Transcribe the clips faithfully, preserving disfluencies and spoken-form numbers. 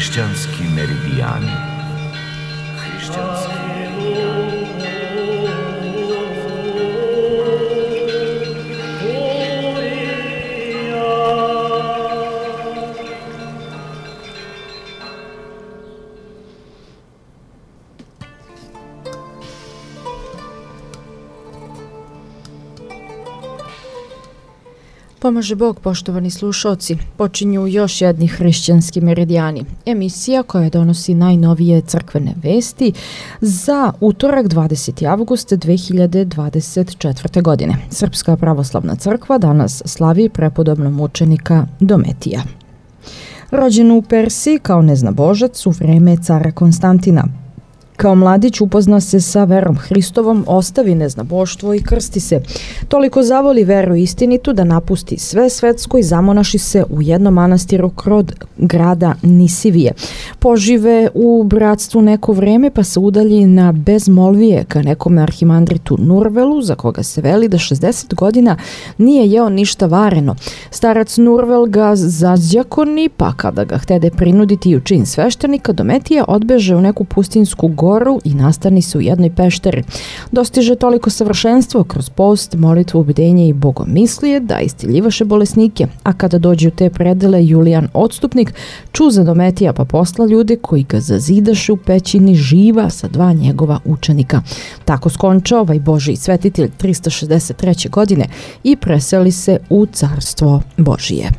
Hrišćanski meridijani. Hrišćanski Pomaže Bog, poštovani slušalci. Počinju još jedni hrišćanski meridijani. Emisija koja donosi najnovije crkvene vesti za utorak dvadeseti avgust dve hiljade dvadeset četvrte. godine. Srpska pravoslavna crkva danas slavi prepodobno mučenika Dometija. Rođen u Persiji kao neznabožac u vreme cara Konstantina. Kao mladić upozna se sa verom Hristovom, ostavi neznaboštvo i krsti se. Toliko zavoli veru istinitu da napusti sve svetsko i zamonaši se u jednom manastiru krod grada Nisivije. Požive u bratstvu neko vreme pa se udalji na bezmolvije ka nekom arhimandritu Nurvelu, za koga se veli da šezdeset godina nije jeo ništa vareno. Starac Nurvel ga zazdjakoni, pa kada ga htede prinuditi u čin sveštenika, Dometija odbeže u neku pustinsku goru i nastani se u jednoj pešteri. Dostiže toliko savršenstvo kroz post, molitvu, bdenje i bogomislije da istiljivaše bolesnike, a kada dođe u te predele Julijan Odstupnik ču za Dometija pa posla ljude koji ga zazidaše u pećini živa sa dva njegova učenika. Tako skonča ovaj Božji svetitelj trista šezdeset treće. godine i preseli se u carstvo Božije.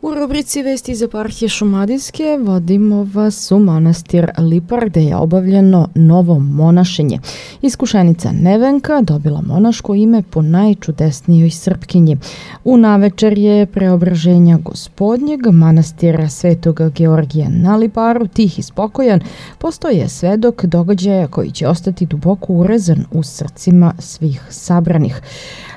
U rubrici Vesti iz eparhije Šumadijske vodimo vas u manastir Lipar gde je obavljeno novo monašenje. Iskušenica Nevenka dobila monaško ime po najčudesnijoj Srpkinji. U navečer je preobraženja Gospodnjeg manastira Svetoga Georgija na Liparu, tih i spokojan, postoje svedok događaja koji će ostati duboko urezan u srcima svih sabranih.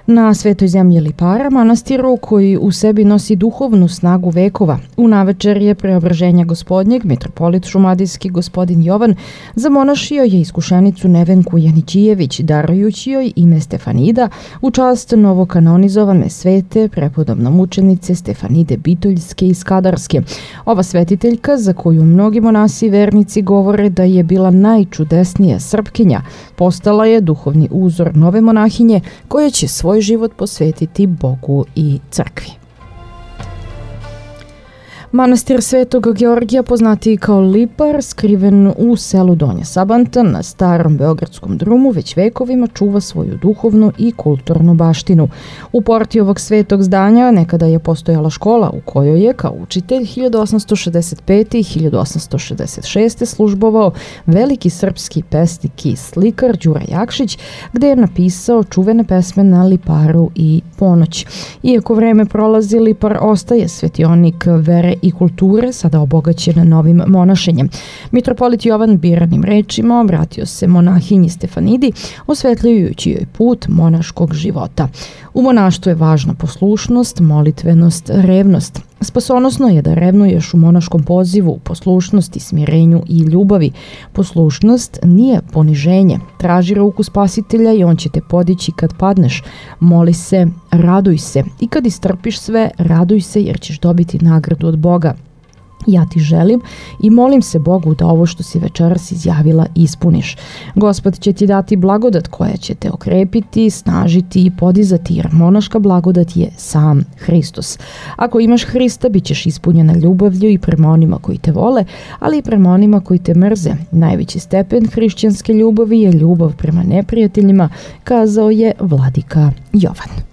Na svetoj zemlji Lipara, manastiru koji u sebi nosi duhovnu snagu vekova, u navečer je preobraženja Gospodnjeg mitropolit šumadijski gospodin Jovan zamonašio je iskušenicu Nevenku Janićijević, darujući joj ime Stefanida u čast novokanonizovane svete prepodobno mučenice Stefanide Bitoljske i Skadarske. Ova svetiteljka, za koju mnogi monasi i vernici govore da je bila najčudesnija Srpkinja, postala je duhovni uzor nove monahinje koja će svoj život posvetiti Bogu i crkvi. Manastir Svetog Georgija, poznatiji kao Lipar, skriven u selu Donja Sabanta na starom beogradskom drumu, već vekovima čuva svoju duhovnu i kulturnu baštinu. U porti ovog svetog zdanja nekada je postojala škola u kojoj je kao učitelj hiljadu osamsto šezdeset pete. i hiljadu osamsto šezdeset šeste. službovao veliki srpski pesnik i slikar Đura Jakšić, gde je napisao čuvene pesme na Liparu i Ponoć. Iako vreme prolazi, Lipar ostaje svetionik vere i kulture, sada obogaćen novim monašenjem. Mitropolit Jovan biranim rečima obratio se monahinji Stefanidi, osvetljujući joj put monaškog života. U monaštvu je važna poslušnost, molitvenost, revnost. Spasonosno je da revnuješ u monaškom pozivu, poslušnosti, smirenju i ljubavi. Poslušnost nije poniženje. Traži ruku spasitelja i on će te podići kad padneš. Moli se, raduj se i kad istrpiš sve, raduj se jer ćeš dobiti nagradu od Boga. Ja ti želim i molim se Bogu da ovo što si večeras izjavila ispuniš. Gospod će ti dati blagodat koja će te okrepiti, snažiti i podizati, jer monaška blagodat je sam Hristos. Ako imaš Hrista, bit ćeš ispunjena ljubavlju i prema onima koji te vole, ali i prema onima koji te mrze. Najveći stepen hrišćanske ljubavi je ljubav prema neprijateljima, kazao je vladika Jovan.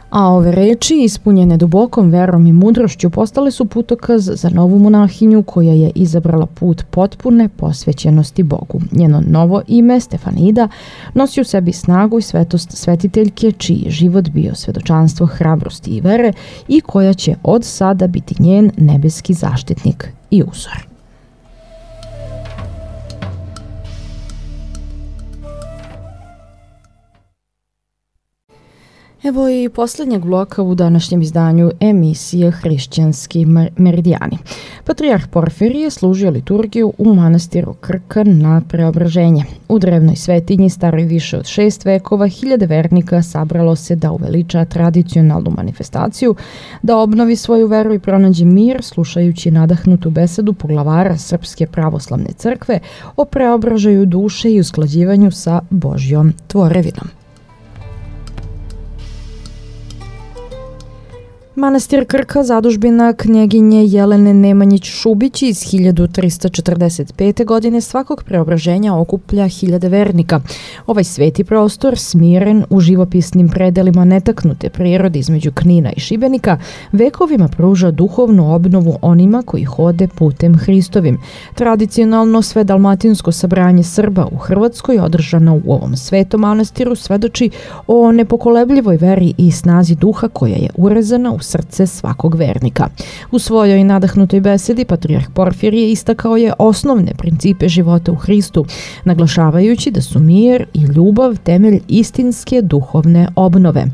A ove reči, ispunjene dubokom verom i mudrošću, postale su putokaz za novu monahinju koja je izabrala put potpune posvećenosti Bogu. Njeno novo ime, Stefanida, nosi u sebi snagu i svetost svetiteljke, čiji je život bio svedočanstvo hrabrosti i vere i koja će od sada biti njen nebeski zaštitnik i uzor. Evo i posljednjeg bloka u današnjem izdanju emisije Hrišćanski meridijani. Patrijarh Porfirije služio liturgiju u manastiru Krka na Preobraženje. U drevnoj svetinji staroj više od šest vekova hiljade vernika sabralo se da uveliča tradicionalnu manifestaciju, da obnovi svoju veru i pronađe mir slušajući nadahnutu besedu poglavara Srpske pravoslavne crkve o preobražaju duše i usklađivanju sa Božjom tvorevinom. Manastir Krka, zadužbina knjeginje Jelene Nemanjić-Šubić iz hiljadu trista četrdeset pete. godine svakog preobraženja okuplja hiljade vernika. Ovaj sveti prostor, smiren u živopisnim predelima netaknute prirode između Knina i Šibenika, vekovima pruža duhovnu obnovu onima koji hode putem Hristovim. Tradicionalno sve dalmatinsko sabranje Srba u Hrvatskoj, održano u ovom svetom manastiru, svedoči o nepokolebljivoj veri i snazi duha koja je urezana u srce svakog vernika. U svojoj nadahnutoj besedi Patrijarh Porfirije istakao je osnovne principe života u Hristu, naglašavajući da su mir i ljubav temelj istinske duhovne obnove.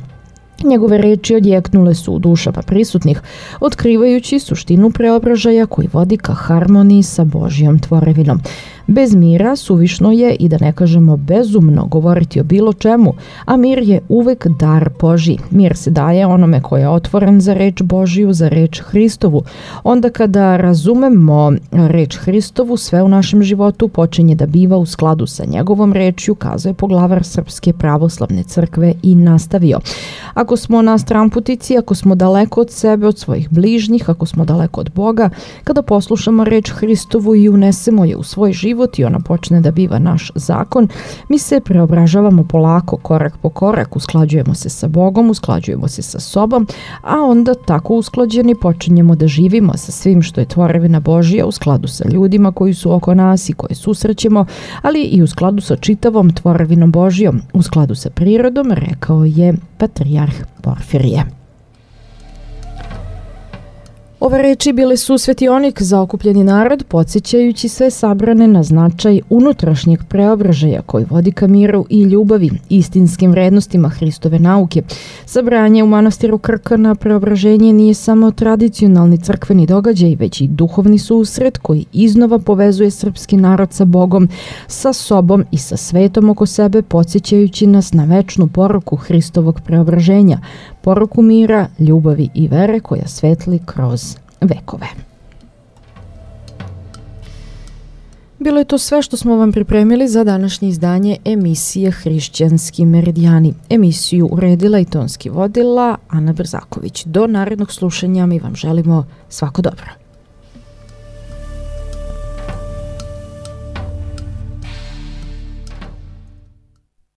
Njegove reči odjeknule su u dušama prisutnih, otkrivajući suštinu preobražaja koji vodi ka harmoniji sa Božjom tvorevinom. Bez mira suvišno je, i da ne kažemo bezumno, govoriti o bilo čemu, a mir je uvek dar Božji. Mir se daje onome ko je otvoren za reč Božju, za reč Hristovu. Onda kada razumemo reč Hristovu, sve u našem životu počinje da biva u skladu sa njegovom rečju, kazuje poglavar Srpske pravoslavne crkve i nastavio. Ako smo na stramputici, ako smo daleko od sebe, od svojih bližnjih, ako smo daleko od Boga, kada poslušamo reč Hristovu i unesemo je u svoj život i ona počne da biva naš zakon, mi se preobražavamo polako, korak po korak, usklađujemo se sa Bogom, usklađujemo se sa sobom, a onda tako usklađeni počinjemo da živimo sa svim što je tvorevina Božja, u skladu sa ljudima koji su oko nas i koje susrećemo, ali i u skladu sa čitavom tvorevinom Božjom, u skladu sa prirodom, rekao je Patrijarh Porfirije. Ove reči bile su svetionik za okupljeni narod, podsjećajući sve sabrane na značaj unutrašnjeg preobražaja koji vodi ka miru i ljubavi, istinskim vrednostima Hristove nauke. Sabranje u manastiru Krka na Preobraženje nije samo tradicionalni crkveni događaj, već i duhovni susret koji iznova povezuje srpski narod sa Bogom, sa sobom i sa svetom oko sebe, podsjećajući nas na večnu poruku Hristovog preobraženja, poruku mira, ljubavi i vere koja svetli kroz vekove. Bilo je to sve što smo vam pripremili za današnje izdanje emisije Hrišćanski meridijani. Emisiju uredila i tonski vodila Ana Brzaković. Do narednog slušanja mi vam želimo svako dobro.